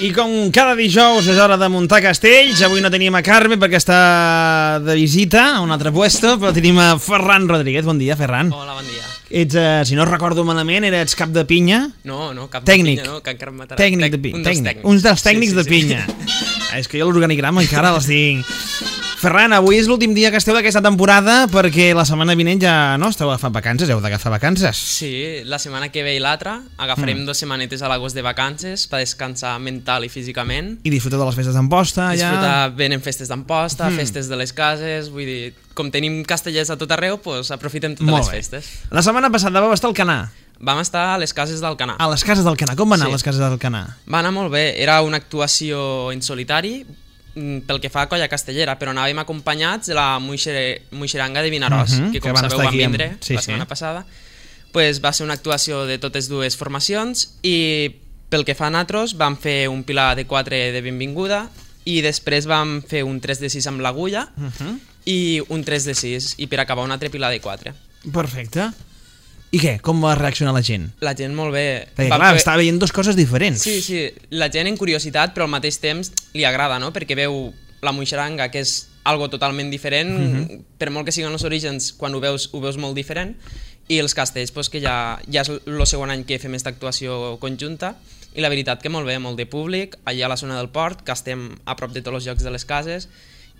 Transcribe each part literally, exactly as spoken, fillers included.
I com cada dijous és hora de muntar castells. Avui no tenim a Carme perquè està de visita a un altre puesto, però tenim a Ferran Rodríguez. Bon dia, Ferran. Hola, bon dia. Ets, uh, si no recordo malament, eres cap de pinya? No, no, cap tècnic. de pinya, no, que encara em matarà. Tècnic de pinya. Un dels tècnics. Uns dels tècnics sí, sí, de pinya. Sí. Ah, és que jo l'organigrama encara els tinc. Ferran, avui és l'últim dia que esteu d'aquesta temporada perquè la setmana vinent ja no esteu agafant vacances, heu d'agafar vacances. Sí, la setmana que ve i l'altra agafarem mm. dues setmanetes a l'agost de vacances per descansar mental i físicament. I disfrutar de les festes d'Amposta. Disfrutar, ja... venen festes d'Amposta, mm. festes de les cases, vull dir, com tenim castellers a tot arreu, doncs aprofitem totes Molt les bé. festes. La setmana passada vau estar al Canà. Vam estar a les cases d'Alcanar. A les cases d'Alcanar, com va anar Sí. les cases d'Alcanar? Va anar molt bé, era una actuació en solitari, pel que fa a colla castellera, però anàvem acompanyats de la Muixer, Muixeranga de Vinaròs, uh -huh, que com que van sabeu estar van aquí amb... vindre sí, la setmana sí. passada. Pues va ser una actuació de totes dues formacions i pel que fa a nosaltres vam fer un pilar de quatre de benvinguda i després vam fer un tres de sis amb l'agulla uh -huh. i un tres de sis i per acabar un altre pilar de quatre. Perfecte. I què? Com va reaccionar la gent? La gent molt bé. Perquè Va clar, fer... estava veient dues coses diferents. Sí, sí, la gent en curiositat però al mateix temps li agrada, no? Perquè veu la Muixeranga, que és algo totalment diferent, uh-huh. per molt que siguin els orígens, quan ho veus, ho veus molt diferent, i els castells, pues, que ja, ja és el segon any que fem aquesta actuació conjunta, i la veritat que molt bé, molt de públic, allà a la zona del port, que estem a prop de tots els llocs de les cases,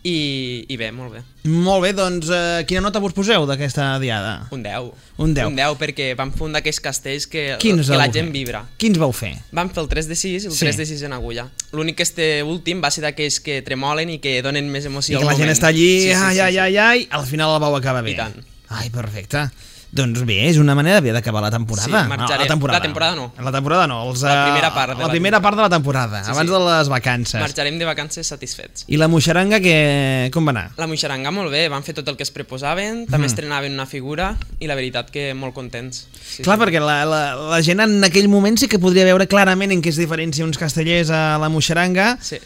i, i bé, molt bé. Molt bé, doncs uh, quina nota vos poseu d'aquesta diada? Un deu. Un deu. Un deu, perquè vam fer un d'aquells castells que, Quins que la vau gent fer? vibra. Quins vau fer? Vam fer el tres de sis i el Sí. tres de sis en agulla. L'únic que este últim va ser d'aquells que tremolen i que donen més emoció I al que la moment. gent està allí, Sí, sí, ai, sí, ai, sí. ai, ai, al final la vau acabar bé. I tant. Ai, perfecte. Doncs bé, és una manera bé d'acabar la temporada. Sí, marxarem. No, la temporada. La temporada no. La temporada no. Els, La uh, primera part de la la primera temporada. part de la temporada, Sí, abans sí. de les vacances. Marxarem de vacances satisfets. I la Muixeranga, que... com va anar? La Muixeranga molt bé, van fer tot el que es proposaven, també Mm. estrenaven una figura i la veritat que molt contents. Sí, Clar, sí. perquè la, la, la gent en aquell moment sí que podria veure clarament en què es diferencia uns castellers a la Muixeranga. Sí.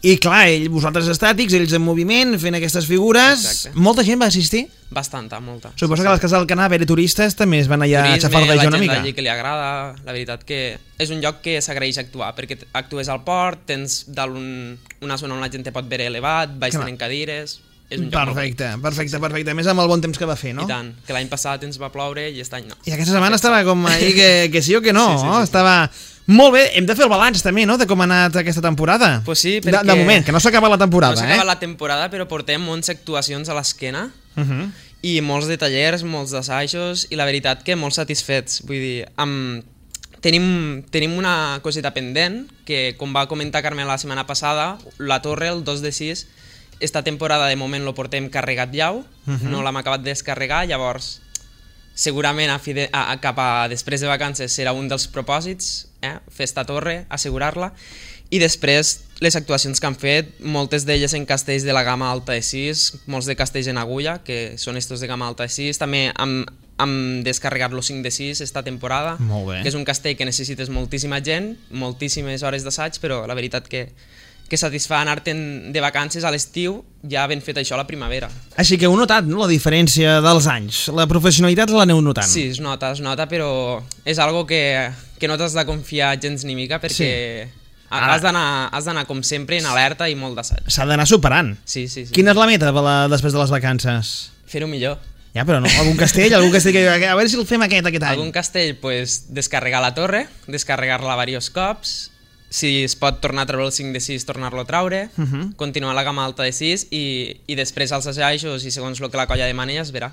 I clar, ell, vosaltres estàtics, ells en moviment, fent aquestes figures. Exacte. Molta gent va assistir? Bastanta, molta. Suposo sí, que a les cases del Canà, a veure turistes, també es van allà a Turisme, xafardejar la una gent mica. d'allí que li agrada, la veritat que és un lloc que s'agraeix actuar, perquè actues al port, tens dalt un, una zona on la gent te pot veure elevat, baix Clar. tenen cadires, és un lloc molt Perfecte, perfecte, perfecte. A més amb el bon temps que va fer, no? I tant, que l'any passat ens va ploure i aquest any no. I aquesta setmana estava com ahir que, que sí o que no, Sí, sí, sí, no? sí. Estava... Molt bé, hem de fer el balanç també, no?, de com ha anat aquesta temporada. Pues sí, de, perquè... de moment, que no s'acaba la temporada, No s'acaba eh? la temporada, però portem onze actuacions a l'esquena Uh -huh. i molts de tallers, molts d'assajos i la veritat que molt satisfets. Vull dir, amb... tenim, tenim una coseta pendent que, com va comentar Carme la setmana passada, la torre, el dos de sis, esta temporada de moment lo portem carregat llau, Uh -huh. no l'hem acabat de descarregar, llavors segurament a, fide, a, a cap a després de vacances serà un dels propòsits, eh? fer esta torre, assegurar-la, i després les actuacions que han fet, moltes d'elles en castells de la gamma alta de sis, molts de castells en agulla, que són estos de gamma alta de sis, també hem, hem descarregat los cinc de sis esta temporada, Molt bé. que és un castell que necessites moltíssima gent, moltíssimes hores d'assaig, però la veritat que que satisfà anar-te'n de vacances a l'estiu ja havent fet això a la primavera. Així que heu notat, no?, la diferència dels anys. La professionalitat l'aneu notant. Sí, es nota, es nota, però és algo que, que no t'has de confiar gens ni mica perquè Sí. ha- has d'anar has d'anar com sempre en alerta i molt d'assaig. S'ha d'anar superant. Sí, sí, sí. Quina és la meta per la, després de les vacances? Fer-ho millor. Ja, però no, algun castell, algun castell que... A veure si el fem aquest, aquest any. Algun castell, pues, descarregar la torre, descarregar-la diversos cops, si es pot tornar a treure el cinc de sis, tornar-lo a traure, Uh -huh. continuar la gamma alta de sis i, i després els assajos i segons el que la colla demani ja es verà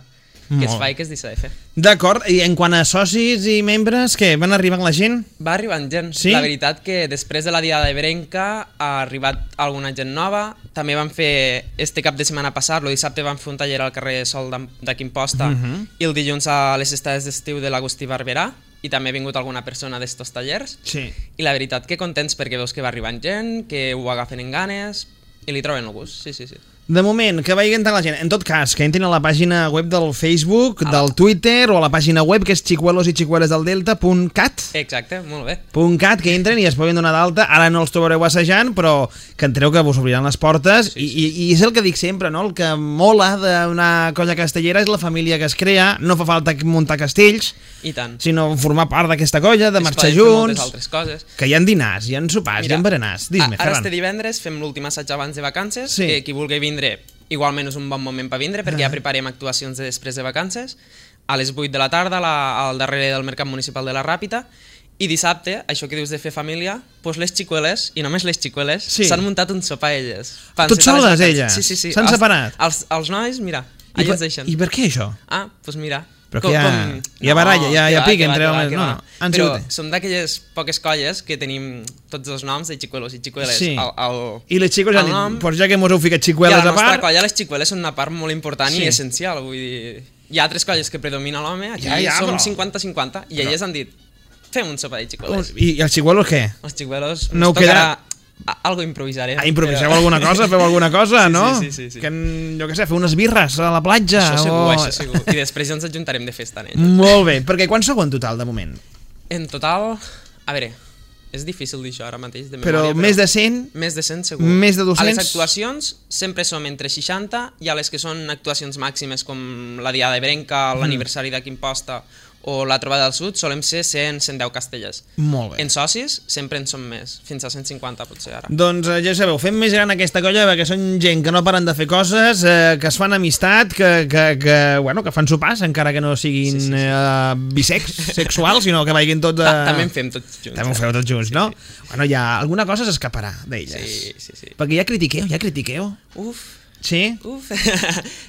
Molt què es bé. fa i què es deixa de fer. D'acord, i en quant a socis i membres, què, van arribant la gent? Va arribant gent. Sí? La veritat que després de la diada de Berenca ha arribat alguna gent nova. També van fer, este cap de setmana passat, el dissabte van fer un taller al carrer Sol d'Am- d'aquí Imposta Uh -huh. i el dilluns a les estades d'estiu de l'Agustí Barberà i també ha vingut alguna persona d'estos tallers. Sí. I la veritat que contents perquè veus que va arribant gent, que ho agafen en ganes i li troben el gust, sí, sí, sí. De moment, que vagi entrant la gent. En tot cas, que entrin a la pàgina web del Facebook, a del la... Twitter o a la pàgina web que és chicuelos i chicueles del delta punt cat. Exacte, molt bé. .cat, que entren i es poden donar d'alta. Ara no els trobareu assajant, però que entreu que vos obriran les portes. Sí, sí. I, i, I és el que dic sempre, no? El que mola d'una colla castellera és la família que es crea. No fa falta muntar castells, I tant. sinó formar part d'aquesta colla, de es marxar junts. junts. Altres coses. Que hi ha dinars, hi ha sopars, Mira, hi ha berenars. Dis-me, ara Ferran. este divendres fem l'últim assaig abans de vacances, Sí. que qui vulgui vindre igualment és un bon moment per vindre, perquè Ah. ja preparem actuacions de després de vacances, a les vuit de la tarda la, al darrere del Mercat Municipal de la Ràpita, i dissabte, això que dius de fer família, doncs les xicueles, i només les xicueles, Sí. s'han muntat un sopar elles. Tot soles, elles? Sí, sí, sí. S'han Els- separat? Els, els nois, mira, I, allà per, ens deixen. I per què això? Ah, doncs mira. Però que hi ha- hi ha baralla, hi ha- hi ha que va, pic que va, entre que va, homes, que no, va. no, han Però sigut- som d'aquelles poques colles que tenim tots els noms de xicuelos i xicueles. Sí. El, el, I les xicueles han el dit, nom- pues ja que mos heu ficat I a xicueles la a nostra part... colla les xicueles són una part molt important Sí. i essencial, vull dir... Hi ha altres colles que predomina l'home, aquí Ja, ja, som però- cinquanta cinquanta, i Però- elles han dit, fem un sopar de xicueles. I, I els xicuelos què? Els xicuelos No ens queda- tocarà... a- Algo improvisarem. Ah, improviseu però- alguna cosa, feu alguna cosa, Sí, no? sí, sí, sí. Que, en- jo què sé, feu unes birres a la platja. Això segur, o... això segur. I després ja ens ajuntarem de festa en ell. Molt bé, perquè quants sou en total, de moment? En total, a veure, és difícil dir això ara mateix de Però memòria, més de cent? Més de cent segur. Més de A les dos-cents? actuacions sempre som entre seixanta i a les que són actuacions màximes com la Diada de Brenca, l'aniversari de Quimposta o la Trobada del Sud, solem ser cent a cent deu castellers. Molt bé. En socis sempre en som més, fins a cent cinquanta potser ara. Doncs eh, ja sabeu, fem més gran aquesta colla perquè són gent que no paren de fer coses, eh, que es fan amistat, que, que, que, bueno, que fan sopars, encara que no siguin Sí, sí, sí. Eh, bisex, sexuals, sinó que vagin tots a... Ta També en fem tots junts. També ho feu tots junts, Sí, no? sí. Bueno, ja alguna cosa s'escaparà d'elles. Sí, sí, sí. Perquè ja critiqueu, ja critiqueu. Uf, Sí? uf.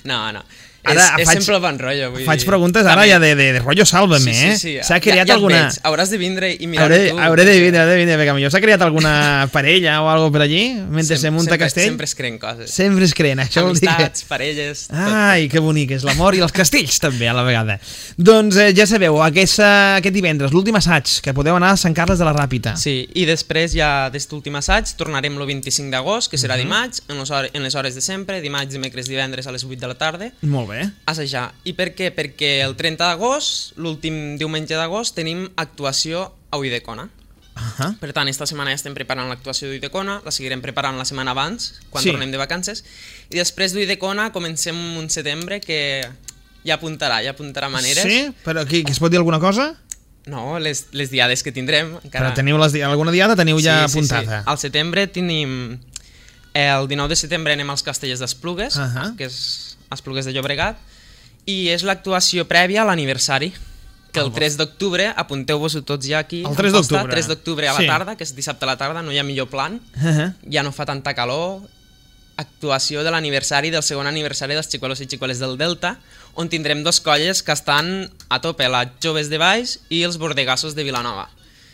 no, no. Ara és, és faig- sempre el bon rotllo, vull Faig dir. preguntes ara També- ja de, de, de rotllo sàlvame, Sí, sí, eh? sí. S'ha creat ja, ja et alguna... veig. Hauràs de vindre i mirar Hauré, tu. hauré de vindre, hauré de vindre, perquè millor s'ha creat alguna parella o alguna per allí, mentre se munta sempre, castell? Sempre es creen coses. Sempre es creen, això vol dir que... Amistats, parelles... tot. Ai, que bonic és l'amor i els castells també a la vegada. Doncs eh, ja sabeu, aquest, aquest divendres, l'últim assaig, que podeu anar a Sant Carles de la Ràpita. Sí, i després ja d'aquest últim assaig tornarem el vint-i-cinc d'agost, que serà Mhm. dimarts, en les, hores, en les hores de sempre, dimarts, dimecres, divendres a les vuit de la tarda, Molt bé. a assajar. I per què? Perquè el trenta d'agost, l'últim diumenge d'agost, tenim actuació a Uidecona. Uh-huh. Per tant, esta setmana ja estem preparant l'actuació d'Uidecona, la seguirem preparant la setmana abans, quan Sí. tornem de vacances, i després d'Uidecona comencem un setembre que ja apuntarà, ja apuntarà maneres. Sí? Però aquí, que es pot dir alguna cosa? No, les, les diades que tindrem. Encara... Però teniu les, di- alguna diada teniu ja sí, sí, apuntada? Sí. Al setembre tenim... El dinou de setembre anem als Castellers d'Esplugues, Ahà. que és Esplugues de Llobregat, i és l'actuació prèvia a l'aniversari, que el tres d'octubre, apunteu-vos-ho tots ja aquí. El tres al costat, d'octubre. tres d'octubre a la Sí. tarda, que és dissabte a la tarda, no hi ha millor plan, Uh-huh. ja no fa tanta calor, actuació de l'aniversari, del segon aniversari dels xicuelos i xicueles del Delta, on tindrem dos colles que estan a tope, les Joves de Baix i els Bordegassos de Vilanova.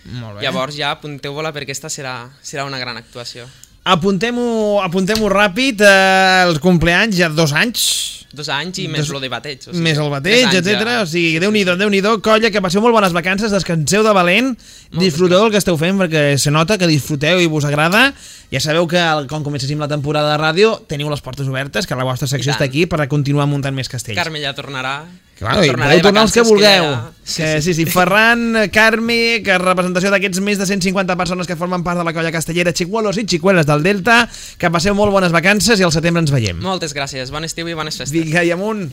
Molt bé. Llavors ja apunteu-vos-la perquè aquesta serà, serà una gran actuació. Apuntem-ho apuntem ràpid, eh, els compleanys, ja dos anys, Dos anys i més Dos- lo de bateig. O més el bateig, tres anys etcètera. ja. O sigui, Sí, Déu-n'hi-do, sí, sí. Déu-n'hi-do, colla, que passeu molt bones vacances, descanseu de valent, disfruteu del que esteu fent, perquè se nota que disfruteu i vos agrada. Ja sabeu que quan comencéssim la temporada de ràdio teniu les portes obertes, que la vostra secció I està tant. aquí per continuar muntant més castells. Carme ja tornarà. Claro, i tornarà podeu de tornar els que vacances, vulgueu. ja- Que, sí, sí, Ferran, Carme, que representació d'aquests més de cent cinquanta persones que formen part de la colla castellera Xicuelos i Xicueles del Delta, que passeu molt bones vacances i al setembre ens veiem. Moltes gràcies, bon estiu i bones festes. Vinga, i amunt!